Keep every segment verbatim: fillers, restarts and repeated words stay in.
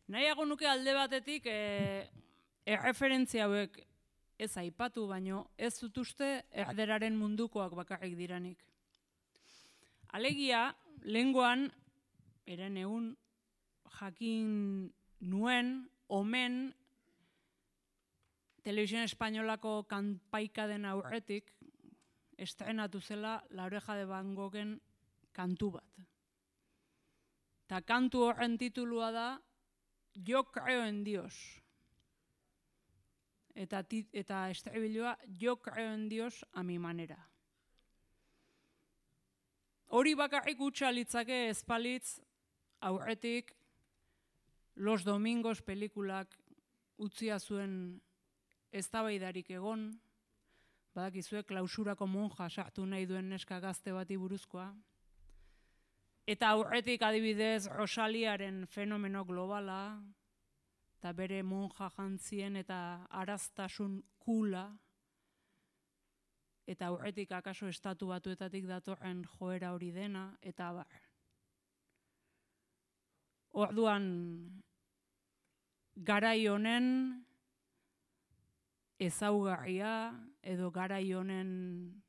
Nahiago nuke alde batetik e, erreferentzia hauek ez aipatu, baino ez dut uste erderaren mundukoak bakarrik diranik. Alegia, lehengoan, eren egun jakin nuen, omen, Televisión Espainolako kanpaika den aurretik, estrenatu zela La Oreja de Van Goghen kantu bat. Ta kantu horren titulua da Yo creo en Dios. Eta, eta estribilloa Yo creo en Dios a mi manera. Hori bakarrik utxa litzake ezpalitz aurretik Los Domingos pelikulak utzia zuen eztabaidarik egon, badakizue klausurako monja sartu nahi duen neska gazte bati buruzkoa. Eta aurretik adibidez Rosaliaren fenomeno globala, eta bere monja jantzien eta araztasun kula, eta aurretik akaso estatu batuetatik datorren joera hori dena, eta bar. Orduan, garai honen ezaugarria, edo garai honen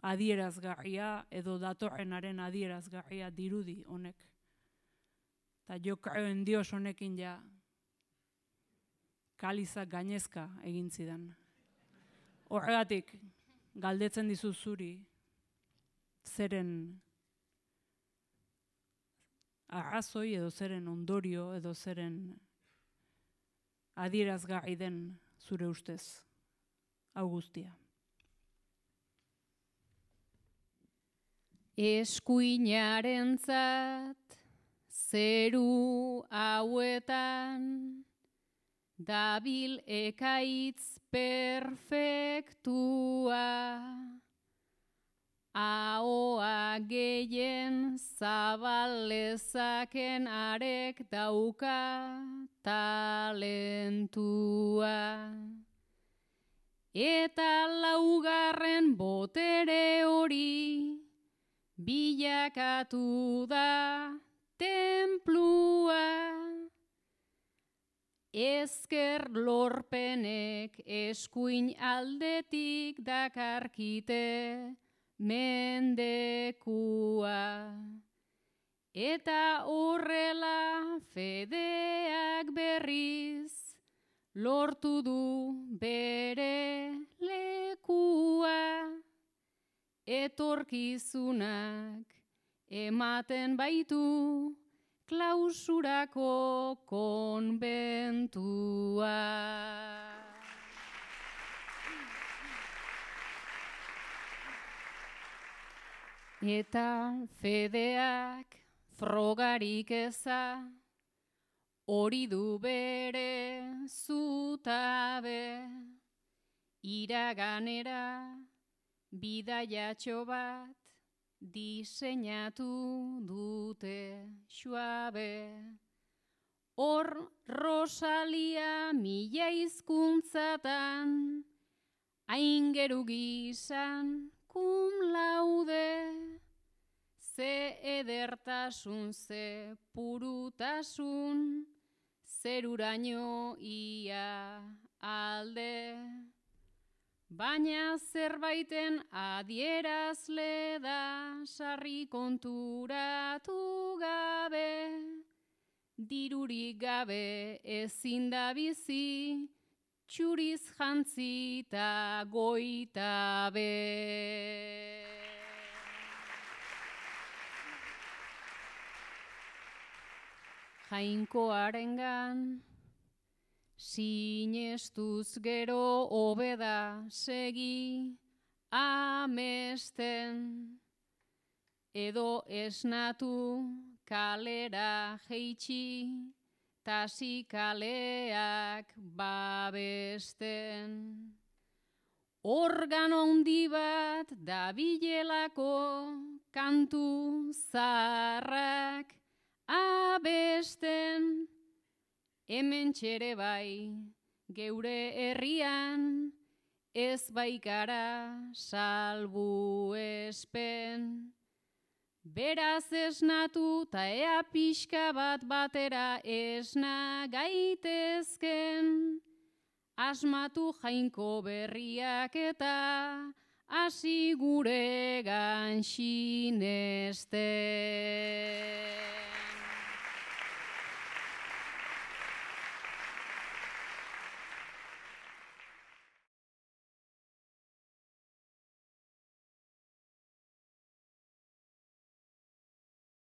adierazgarria, edo datorrenaren adierazgarria dirudi honek. Eta Yo creo en Dios honekin ja kalizak gainezka egin zidan. Horregatik, galdetzen dizu zuri, zeren arrazoi edo zeren ondorio edo zeren adierazgarri den zure ustez, hau guztia. Eskuinarentzat zeru hauetan dabil ekaitz perfektua, ahoa gehien zabalezaken arek dauka talentua. Eta laugarren botere hori bilakatu da tenplua. Ezker lorpenek eskuin aldetik dakarkite mendekua. Eta horrela fedeak berriz lortu du bere lekua. Etorkizunak ematen baitu klausurako konbentua. Eta fedeak frogarik eza, hori du bere zutabe, iraganera bidaiatxo bat diseinatu dute suabe. Hor Rosalia mila hizkuntzatan, aingeru gizan cum laude, ze edertasun, ze purutasun, zeruraino ia alde. Baina zerbaiten adierazle da sarri konturatu gabe, dirurik gabe ezin da bizi, txuriz jantzita goitabe. Jainkoarengan sinestuz gero hobeda segi amesten, edo esnatu kalera jeitsi, tasi kaleak babesten. Organo handi bat dabilelako kantu zaharrak abesten, hemen txere bai, geure herrian, ez baikara salbu espen. Beraz esnatu ta ea pixka bat batera esna gaitezken, asmatu jainko berriak eta hasi gure gan sinesten.